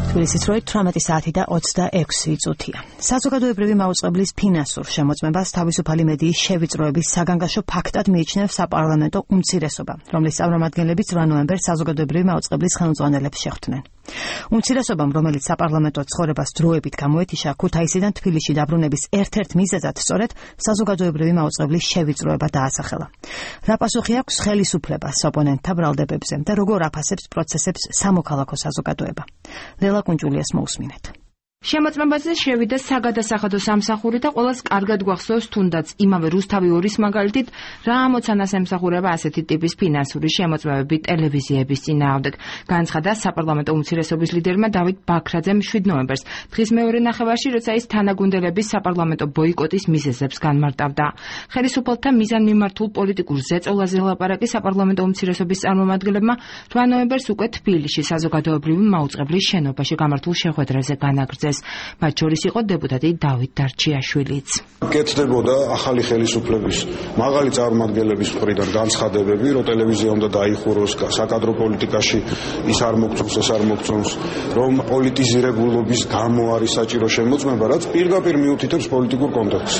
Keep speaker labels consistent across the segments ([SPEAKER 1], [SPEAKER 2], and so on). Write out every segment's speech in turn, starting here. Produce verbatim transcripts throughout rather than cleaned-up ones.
[SPEAKER 1] თბილისის როით თვრამეტი საათი და ოცდაექვსი წუთია. საზოგადოებრივი მაუწყებლის ფინანსურ შემოწმებას თავისუფალი მედიის შევიწროების საგანგაშო ფაქტად მიიჩნევს საპარლამენტო უმცირესობა, რომლის წარმომადგენლებიც რვა ნოემბერს საზოგადოებრივი მაუწყებლის ხელმძღვანელებს შეხვდნენ. უმცირესობამ, რომელიც საპარლამენტო ცხოვრებას დროებით გამოეთიშა, ქუთაისიდან თბილისში დაბრუნების ერთ-ერთ მიზეზად სწორედ საზოგადოებრივი მაუწყებლის შევიწროება დაასახელა. რა პასუხი აქვს ხელისუფლებას ოპონენტთა ბრალდებებზე და როგორ აფასებს პროცესებს სამოქალაქო საზოგადოება? ლელა კუნჭულიას მოусმინეთ.
[SPEAKER 2] შემოწმებაზე შევიდა საგადასახადო სამსახური და ყველას კარგად გვახსოვს თუნდაც იმავე რუსთავი ორის მაგალითით რა ამოცანას ემსახურება ასეთი ტიპის ფინანსური შემოწმებები ტელევიზიების წინააღმდეგ. განცხადა საპარლამენტო უმცირესობის ლიდერმა დავით ბაქრაძემ შვიდ ნოემბერს, დღის მეორე ნახევარში, როცა ის თანაგუნდელების საპარლამენტო ბოიკოტის მიზეზებს განმარტავდა. ხელისუფალთა მიზანმიმართულ პოლიტიკურ ზეწოლაზე ლაპარაკი საპარლამენტო უმცირესობის წარმომადგენლებმა რვა ნოემბერს უკვე თბილისში საზოგადოებრივი მაუწყებლის შენობაში გამართულ შეხვედრაზე განაგრძეს. მათ შორის იყო დეპუტატი დავით დარჩიაშვილიც.
[SPEAKER 3] კეთდებოდა ახალი ხელისუფლების მაღალი წარმომადგენლების მხრიდან განცხადებები, რომ ტელევიზია უნდა დაიხუროს, საკადრო პოლიტიკაში ის არ მოგწონს, ეს არ მოგწონს, რომ პოლიტიზირებულობის გამო არის საჭირო შემოწმება, რაც პირდაპირ მიუთითებს პოლიტიკურ კონტექსტს.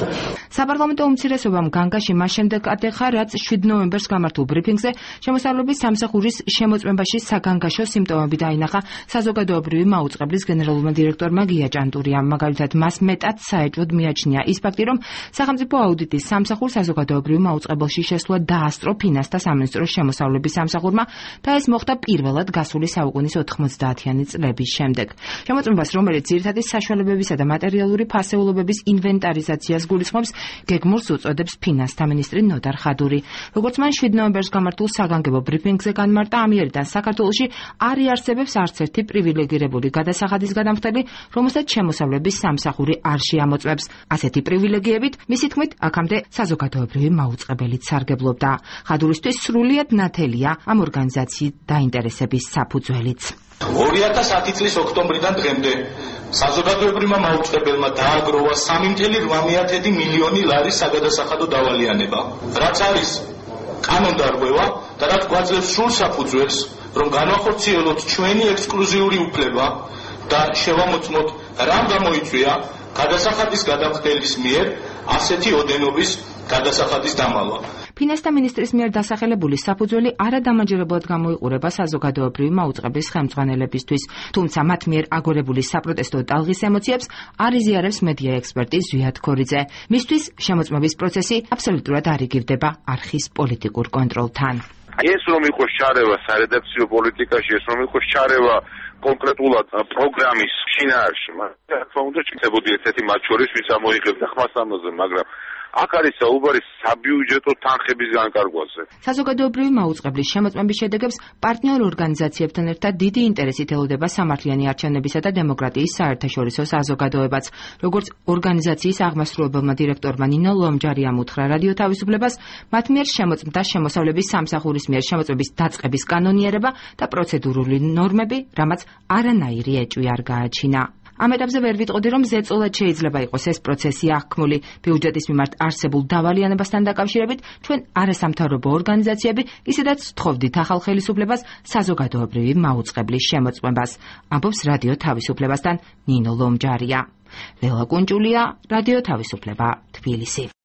[SPEAKER 2] საპარლამენტო უმცირესობამ განგაში მას შემდეგ ატეხა, რაც შვიდ ნოემბერს გამართულ ბრიფინგზე შემოსავლების სამსახურის შემოწმებაში საგანგაშო სიმპტომები დაინახა საზოგადოებრივი მაუწყებლის გენერალურმა დირექტორმა ჭანტურია. მაგალითად, მას მეტად საეჭვოდ მიაჩნია ის ფაქტი, რომ სახელმწიფო აუდიტის სამსახურს საზოგადოებრივ მაუწყებელში შესვლა დაასწრო ფინანსთა სამინისტროს შემოსავლების სამსახურმა და ეს მოხდა პირველად გასული საუკუნის ოთხმოცდაათიანი წლების შემდეგ. შემოწმებას, რომელიც ძირითადი საშუალებებისა და მატერიალური ფასეულობების ინვენტარიზაციას გულისხმობს, გეგმურს უწოდებს ფინანსთა მინისტრი ნოდარ ხადური. როგორც მან შვიდ ნოემბერს გამართულ საგანგებო ბრიფინგზე განმარტა, ამიერიდან საქართველოში არ იარსებებს არც ერთი პრივილეგირებული გადასახადის გადამხდელი, რომელსაც შემოსავლების სამსახური არ შეამოწმებს. ასეთი პრივილეგიებით, მისი თქმით, აქამდე საზოგადოებრივი მაუწყებელიც სარგებლობდა. ხადურისთვის სრულიად ნათელია ამ ორგანიზაციის დაინტერესების საფუძველიც.
[SPEAKER 4] ორი ათას ათი წლის ოქტომბრიდან დღემდე საზოგადოებრივმა მაუწყებელმა დააგროვა სამი მილიონი რვამეათი მილიონი ლარის საგადასახადო დავალიანება, რაც არის კანონდარღვევა და რაც გვაძლევს სრულ საფუძველს, რომ განვახორციელოთ ჩვენი ექსკლუზიური უფლება და შევამოწმოთ რამ გამოიწვია გადასახადის გადამხდელის მიერ ასეთი ოდენობის გადასახადის დამალვა.
[SPEAKER 2] ფინანსთა მინისტრის მიერ დასახელებული საფუძველი არადამაჯერებლად გამოიყურება საზოგადოებრივი მაუწყებლის ხელმძღვანელებისთვის, თუმცა მათ მიერ აგორებული საპროტესტო ტალღის ემოციებს არ იზიარებს მედია ექსპერტი ზვიად ქორიძე. მისთვის შემოწმების პროცესი აბსოლუტურად არ იგივდება არხის პოლიტიკურ კონტროლთან.
[SPEAKER 5] ეს რომ იყოს შარევა სარედაქციო პოლიტიკაში, ეს რომ იყოს შარევა კონკრეტულად პროგრამის შინაარსში, მაგრამ თქმა უნდა ჩქებოდი ერთ-ერთი მათ შორის, ვინც ამოიღებდა ხმას ამაზე, მაგრამ აქ არის საუბარი საბიუჯეტო თანხების განკარგვაზე.
[SPEAKER 2] საზოგადოებრივი მაუწყებლის შემოწმების შედეგებს პარტნიორ ორგანიზაციებთან ერთად დიდი ინტერესით ელოდება სამართლიანი არჩევნებისა და დემოკრატიის საერთაშორისო საზოგადოებაც. როგორც ორგანიზაციის აღმასრულებელმა დირექტორმა ნინო ლომჯარიამ უთხრა რადიო თავისუფლებას, მათ მიერ შემოწმდა შემოსავლების სამსახურის მიერ შემოწმების დაწყების კანონიერება და პროცედურული ნორმები, რამაც არანაირი ეჭვი არ გააჩინა. ამ ეტაპზე ვერ ვიტყოდი, რომ ზეწოლად შეიძლება იყოს ეს პროცესი აღქმული ბიუჯეტის მიმართ არსებულ დავალიანებასთან დაკავშირებით, ჩვენ არასამთავრობო ორგანიზაციები ისედაც ვთხოვდით ახალ ხელისუფლებას საზოგადოებრივი მაუწყებლის შემოწმებას. ამბობს რადიო თავისუფლებასთან ნინო ლომჯარია. ლელა კუნჭულია, რადიო თავისუფლება, თბილისი.